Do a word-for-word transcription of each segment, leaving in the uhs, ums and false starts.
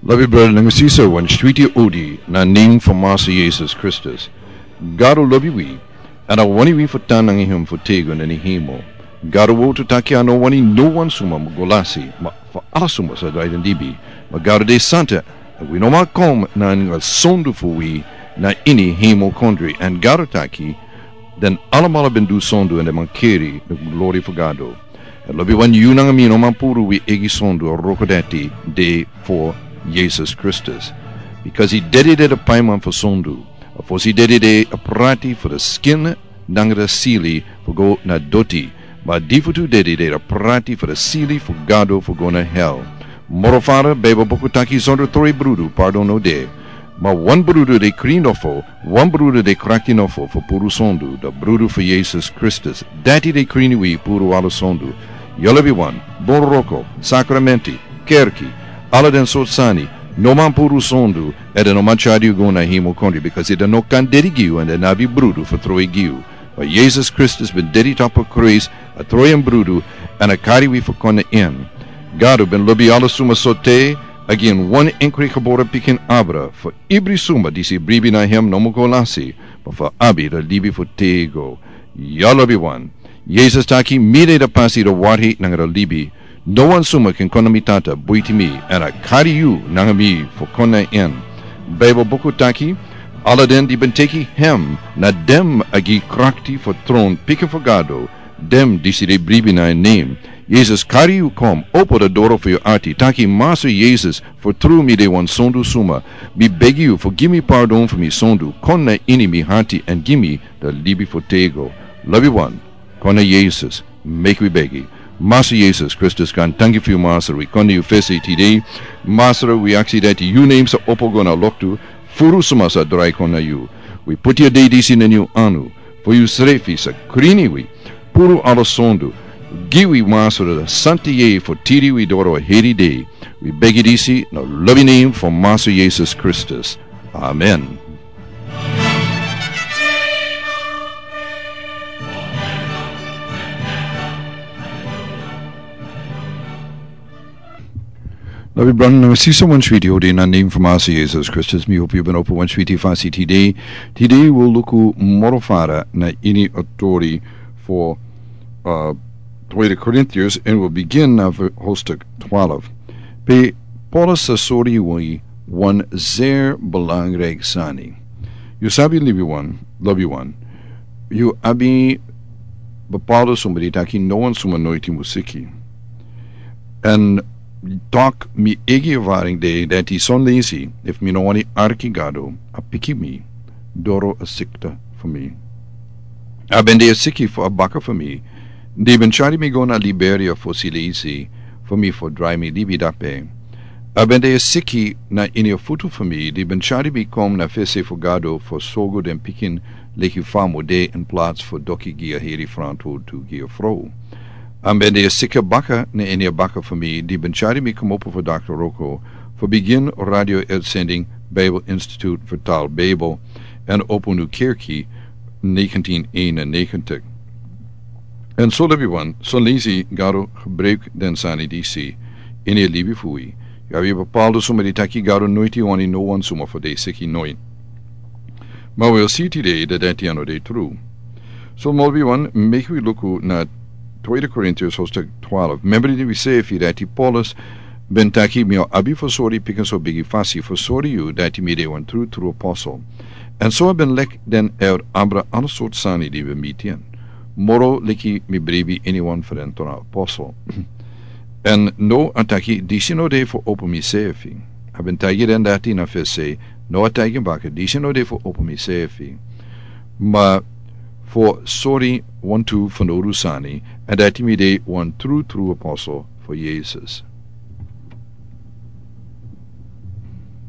Lobi brada nanga sisa, wan switi odi na nen fu Masa Yesus Kristus. Gado lobi wi, èn a wani wi fu tan nanga hem fu tego na ini hemel. Gado wowtu taki a no wani no wan suma mu go lasi, ma fu ala suma sa drai den libi. Ma Gado de santa, èn wi no man kon nanga sondu fu wi na ini hemel kondre. Èn Gado taki, den alamala ben du sondu èn den man keri den glori fu Gado. Èn lobi wan, yu nanga mi no man puru wi eigi sondu, wroko dati de fu Yesus Kristus. Bikasi dede de a paiman fu sondu. A fosi dede de a prati fu a skin nanga a sili fu go na doti. Ma a difutu dede de a prati fu a sili fu Gado fu go na hel. Moro fara, Beibel buku taki, sondro troi brudu pardon no de. Ma wan brudu de krin nofo, wan brudu de krakti nofo fu puru sondu, a brudu fu Yesus Kristus. Dati de krin wi puru ala sondu. Yu lobi wan, bun wroko, sakramenti, kerki, ala den sortu sani, no man puru sondu, èn den no man tyari yu go na hemel kondre, bikasi den no kan dede gi yu èn den no abi brudu fu troi gi yu. Ma Yesus Kristus ben dede tapu a krusu, a troi en brudu, èn a kari wi fu kon na en. Gado ben lobi ala suma so te a gi en wan enkri gebore pikin abra, fu ibri suma disi bribi na hem no mu go lasi, ma fu abi a libi fu tego. Yu lobi wan, Yesus taki, mi de a pasi, a waarheid nanga a libi. No wan suma kan kon na mi Tata buiti mi, èn a kari yu nanga mi fu kon na en. Beibel buku taki, ala den di ben teki hem, na den a gi krakti fu tron pikin fu Gado, den disi de bribi na en nen. Yesus kari yu kon, opo a doro fu yu ati, taki, Masa Yesus, fu tru mi de wan sondu suma. Mi begi yu fu gi mi pardon fu mi sondu, kon na ini mi ati èn gi mi a libi fu tego. Lobi wan, kon na Yesus, meki wi begi. Masa Yesus Kristus, wi danki fu yu, Masa, wi kon na yu fesi tide. Masa, wi aksi dati yu nen sa opo go na loktu, furu suma sa drai kon na yu. Wi poti a dei disi na yu anu, fu yu srefi sa krin wi, puru ala sondu, gi wi, Masa, a santa yeye fu tiri wi doro a heri dei. Wi begi disi na lobi nen fu Masa Yesus Kristus. Amen. Lobi brada nanga sisa, wan switi odi na nen fu Masa Yesus Kristus, mi hopu yu ben opo wan switi fasi tide. Tide wi o luku moro fara na ini a tori fu, uh, Tweede Korintiërs, èn wi o bigin na ver-, hoofdstuk twaalf. Pe Paulus sa sori wi wan zeer belangrijk sani. Yu sabi, lobi wan, lobi wan, yu abi bepaalde suma di taki no wan suma noiti mu siki. Èn tok mi eigi ervaring de dati son leisi, efu mi no wani arki Gado, a piki mi doro a sikte fu mi. A ben de a siki fu a baka fu mi, di ben tyari mi go na Liberia fosi leisi, fu mi fu drai mi libi dape. A ben de a siki na ini a futu fu mi, di ben tyari mi kon na fesi fu Gado fu sorgu den pikin leki fa a mu de, in plaats fu doki gi a heri frantwortu gi a frow. A ben de a siki baka na ini a baka fu mi, di ben tyari mi komopo fu dokter wroko, fu bigin radio uitzending Bijbelinstituut Vertaal Bijbel, èn opo nu kerki negentien eenennegentig. Èn so, lobi wan, son leisi Gado gebruik den sani disi ini a libi fu wi. Yu abi bepaalde suma di taki Gado noiti wani no wan suma fu de siki, noiti. Ma wi o si tide dati a no de tru. So, lobi wan, meki wi luku na Tweede Korintiërs hoofdstuk twaalf. Memre di wi si fu dati Paulus ben taki, mi o abi fu sori pikinso bigi fasi fu sori yu dati mi de wan tru tru apostel. Èn so a ben leki den, èn abra ala sortu sani di ben miti en. Moro leki mi bribi iniwan fu den tra apostel. Èn now a taki disi no de fu opo mi sefi. A ben taigi den dati na fesi, now a taigi baka disi no de fu opo mi sefi. Ma fu sori wantu fanowdu sani, èn dati mi de wan tru tru apostel fu Yesus.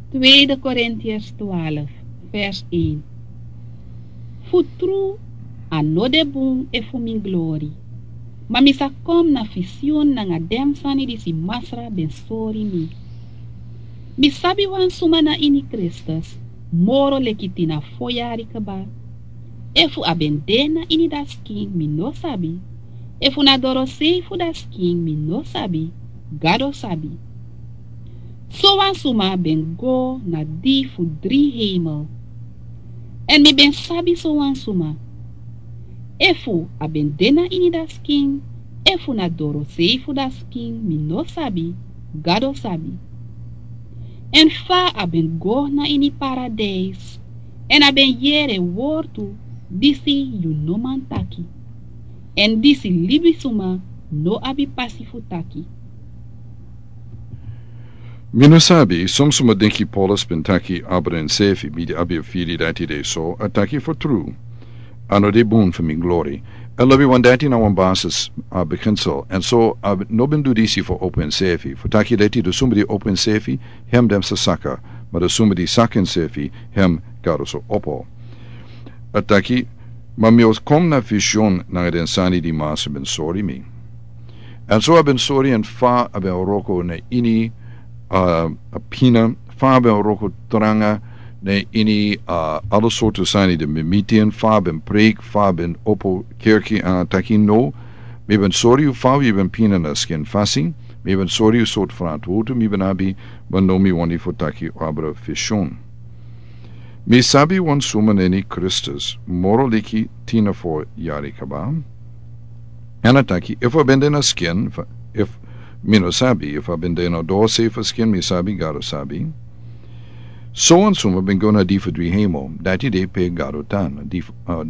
Tweede Korintiërs twaalf, vers één. Fu tru, a no de bun efu mi glori. Ma mi sa kon na visioen nanga den sani disi Masra ben sori mi. Mi sabi wan suma na ini Kristus, moro leki tin na fo yari kaba. Efu a ben de na ini dati skin, mi no sabi. Efu na dorosei fu dati skin, mi no sabi. Gado sabi. Sowan suma ben go na di fu dri heimel. Èn mi ben sabi sowan suma, efu a ben de na ini dati skin efu na dorosei fu dati skin, mi no sabi. Gado sabi. Èn fa a ben go na ini paradijs, èn a ben yere wortu disi yu no man taki, èn disi libisuma no abi pasi fu taki. Mi no sabi, son suma denki Paulus ben taki abra ensefi, mi abi a firi dati de so, a taki fu tru. A no de bun fu mi glori. A lobi wan dati na wan basis, a beginsel. Èn so a no ben du disi fu opo ensefi. Fu taki dati di suma di opo ensefi, hem den sa saka. Ma di suma di saka ensefi, hem Gado sa opo. A taki, ma mi o kon na vision nanga den sani di Masra ben sori mi. Èn so a ben sori en fa a ben wroko na ini, a, a pina, fa a ben wroko tranga na ini, a, ala sortu sani di mi miti en, fa a ben preik, fa a ben opo kerki, a taki no, mi ben sori yu fa yu ben pina na skin fasi, mi ben sori yu sortu frantwortu mi ben abi, ma no mi wani fu taki abra vision. Mi sabi wan suma neni Kristus, moro leki tin na fo yari kaba. Èn a taki, efu a ben de na skin, fa-, efu, mi no sabi, efu a ben de na dorosei fu skin, mi sabi, Gado sabi. Sowan suma ben go na di fu dri heimel, dati de pe Gado tan, di fu, a,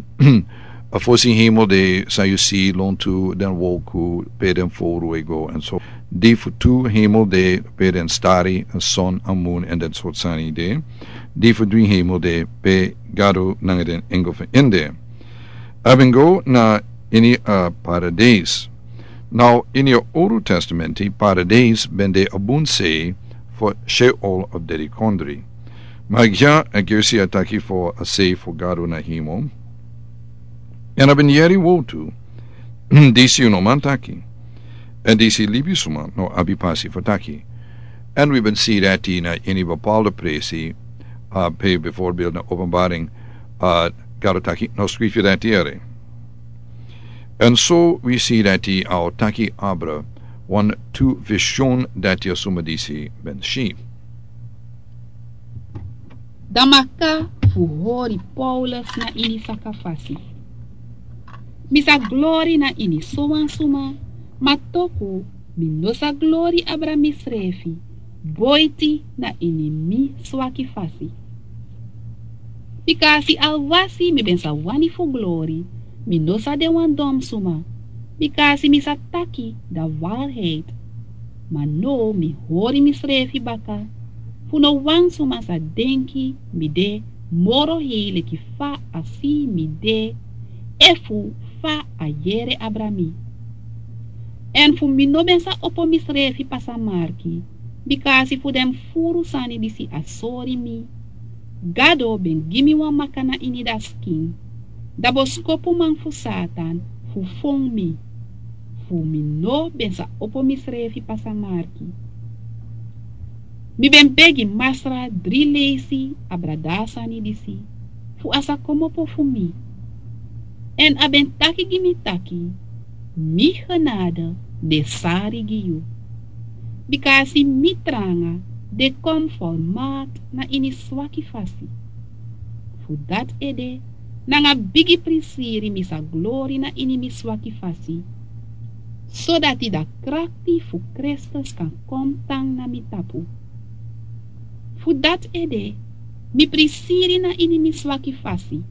a fosi heimel de san yu si lontu, den wolku, pe den fowru e go, èn so. Di fu tu heimel de pe den stari, èn son, èn mun, èn den sortu sani de. Di fu dri heimel de pe Gado nanga den engel fu en de. A ben go na ini a paradijs. Now, ini a Owru Testamenti, paradijs ben de a bun sei fu Sheol of dedikondri. Ma dya a gersi a taki fu a sei fu Gado na heimel. Èn a ben yere wortu, disi yu no man taki. Èn disi libisuma no abi pasi fu taki. Èn wi ben si dati na ini bepaalde presi, a, pe bijvoorbeeld na Openbaring, a, Gado taki, no skrifi dati ere. Èn so wi si dati a o taki abra wan tu vision dati a suma disi ben si. Dan maka fu hori Paulus na ini saka fasi. Mi sa glori na ini sowan suma, ma toku mi no sa glori abra misrefi, boiti na ini mi swaki fasi. Bika a si alwasi mi ben sa wani fu glori, mi no sa de wan don suma, bika a si mi sa taki da warheid. Ma now mi hori misrefi baka, fu no wan suma sa denki mi de moro hei leki fa a si mi de, efu fa a yere abra mi. Èn fu mi no ben sa opo misrefi pasa marki, bika a si fu den furu sani disi a sori mi. Gado ben gi mi wan maka na ini dati skin, da boskopuman fu Satan fu fon mi, fu mi no ben sa opo misrefi pasa marki. Mi ben begi Masra dri leisi abra da a sani disi, fu a sa komopo fu mi. Èn a ben taki gi mi taki, mi genade de sari gi yu. Bika a si mi tranga de kon format na ini swaki fasi. Fu dati ede, nanga bigi prisiri mi sa glori na ini mi swaki fasi, sodati da krakti fu Kristus kan kon tan na mi tapu. Fu dati ede, mi prisiri na ini mi swaki fasi,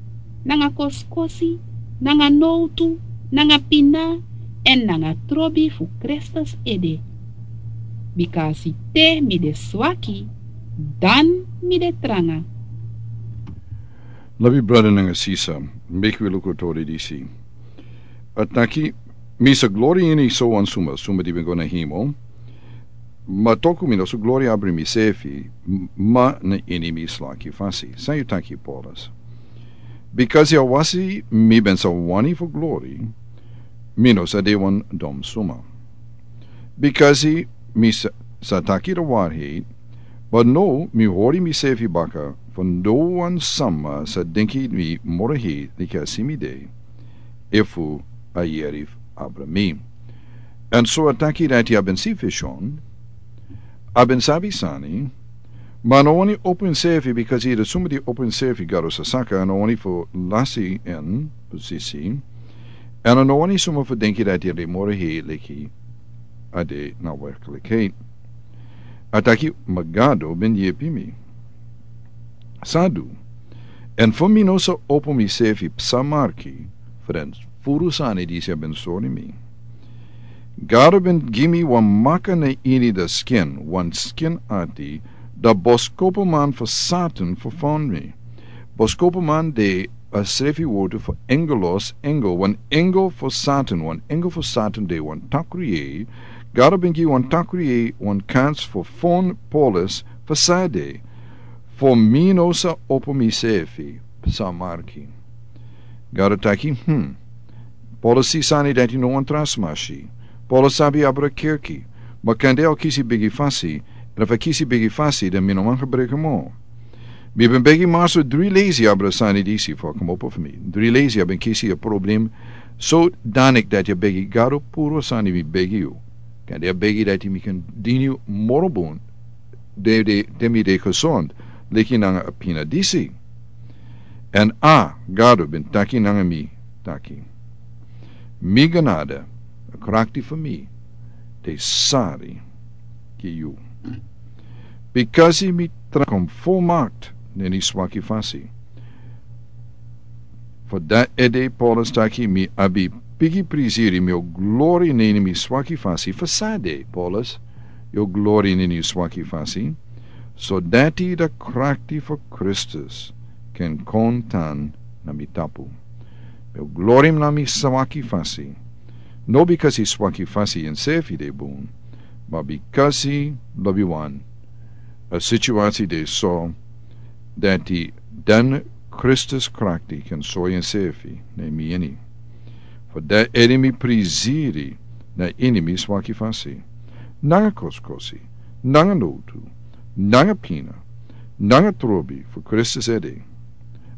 nanga kosikosi, nanga nowtu, nanga pina, èn nanga trobi fu Kristus ede. Bika a si te mi de swaki, dan mi de tranga. Lobi brada nanga sisa, meki wi luku tori disi. A taki, mi sa glori ini sowan suma, suma di ben go na heimel. Ma toku mi no sa glori abra misefi, m-, ma na ini mi swaki fasi. San yu taki, Paulus? Bikasi alwasi mi ben sa wani fu glori, mi no sa de wan don suma. Bikasi mi sa, sa taki da warheid, ma now mi hori misefi baka, fu no wan sama sa denki mi moro hei leki a si mi de, efu a yere abra mi. Èn so a taki dati a ben si fishon, A ben sabi sani, ma a no wani opo enseefi, bikasi yu de suma di opo enseefi, Gado sa saka, a no wani fu lasi en posisi, èn a no wani suma fu denki dati a de moro hei leki a de na werklikheid. A taki, ma Gado ben yepi mi. San a du? Èn fu mi no sa opo miseefi psa marki fu den furu sani disi a ben sori mi. Gado ben gi mi wan maka na ini den skin, wan skin ati, dan boskopuman fu Satan fu fon mi. Boskopuman de a srefi wortu fu angelos, angel, wan angel fu Satan, wan angel fu Satan de wan takru yeye. Gado ben gi wan takru yeye wan kans fu fon Paulus fu san a de. Fu mi no sa opo miseefi psa marki. Gado taki, hmm. Paulus si sani dati no wan tra sma si. Paulus sabi abra kerki. Ma kande a o kisi bigi fasi. Èn efu a kisi bigi fasi, dan mi no man gebruik en moro. Mi ben begi Masra dri leisi abra sani disi fu a kmopo fu mi. Dri leisi a ben kisi a problem. So danik dati a begi Gado puru sani mi begi yu. Kande a begi dati mi kan dini yu moro bun. De, de, de mi de gezond, leki nanga a pina disi. Èn a, Gado ben taki nanga mi, taki. Mi genade, a krakti fu mi, de sari gi yu. Bikasi mi tra kon volmakt na ini swaki fasi. Fu dati ede Paulus taki mi abi bigi prisiri, mi o glori na ini mi swaki fasi. Fu san a de, Paulus, yu o glori na ini yu swaki fasi. So dati a krakti fu Kristus kan kon tan na mi tapu. Mi o glori na mi swaki fasi. No bikasi swaki fasi enseefi de bun, ma bikasi lobi wan a situasi de so dati den Kristus krakti kan sori enseefi na mi ini. Fu dati ede mi prisiri na ini mi swaki fasi. Nanga kosikosi, nanga notu, nanga pina, nanga trobi fu Kristus ede.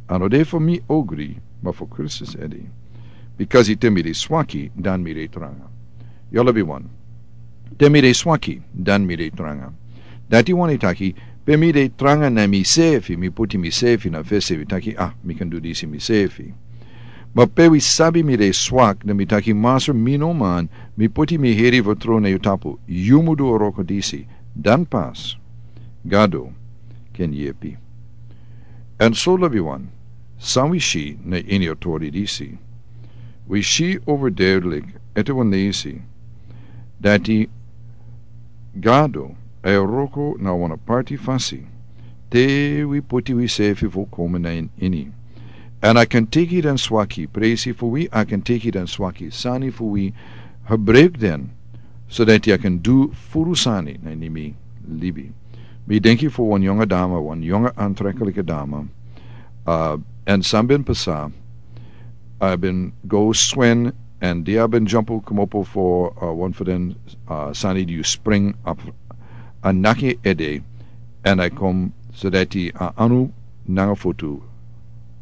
A no de fu mi ogri, ma fu Kristus ede. Bikasi te mi de swaki, dan mi de tranga. Yu lobi wan. Te mi de swaki, dan mi de tranga. Dati wani taki, pe mi de tranga na miseefi, mi poti miseefi na fesi, mi taki, ah, mi kan du disi miseefi. Ma pe wi sabi mi de swak, dan mi taki, Masra, mi no man, mi poti mi heri fu tron na yu tapu, yu mu du a wroko disi, dan pas Gado kan yepi. Èn so lobi wan, san wi si na ini a tori disi. Wi si overduidelijk, ete wan leisi, dati Gado e wroko na wan aparti fasi, te wi poti wiseefi volkomen na ini. Èn a kan teki den swaki presi fu wi, a kan teki den swaki sani fu wi, gebruik den, so dati a kan du furu sani na ini mi libi. Mi denki fu wan yonga dama, wan yonga aantrekkelijke dama. Uh, èn san ben pasa, a ben go swin, èn di a ben jump kmopo fu, uh, wan fu den, uh, sani di yu spring op, a naki ede, èn a kon so dati a anu nanga foto,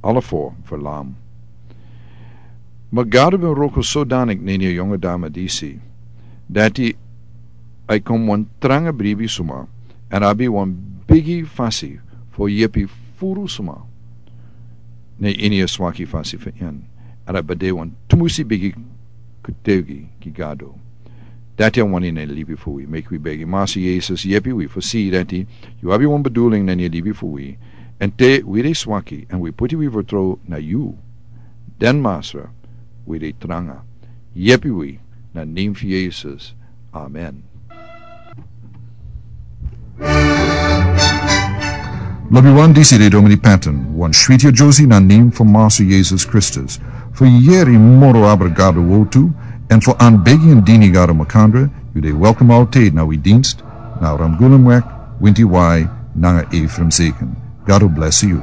ala fo verlam. Ma Gado ben wroko sodanik na ini a yonga dama disi, dati a kon wan tranga bribi suma, èn a abi wan bigi fasi fu yepi furu suma na ini a swaki fasi fu en. Èn a ben de wan tumusi bigi kutegi gi Gado. Dati a wani na libi fu wi, meki wi begi Masra Yesus yepi wi fu si dati yu abi wan bedoeling na ini a libi fu wi. Èn te wi de swaki, èn wi poti wi vertrouw na yu, dan Masra, wi de tranga. Yepi wi na nen fu Yesus. Amen. Lobi wan, disi de Domini Patton, wan switi a Josie na nen fu Masra Yesus Kristus. Fu yeri moro abra Gado wortu, èn fu anbegi èn dini Gado makandra, yu de welkom altijd na wi dienst, na Ramgulumweg, Winti Wai, nanga Ephraim Zeken. Gado bless yu.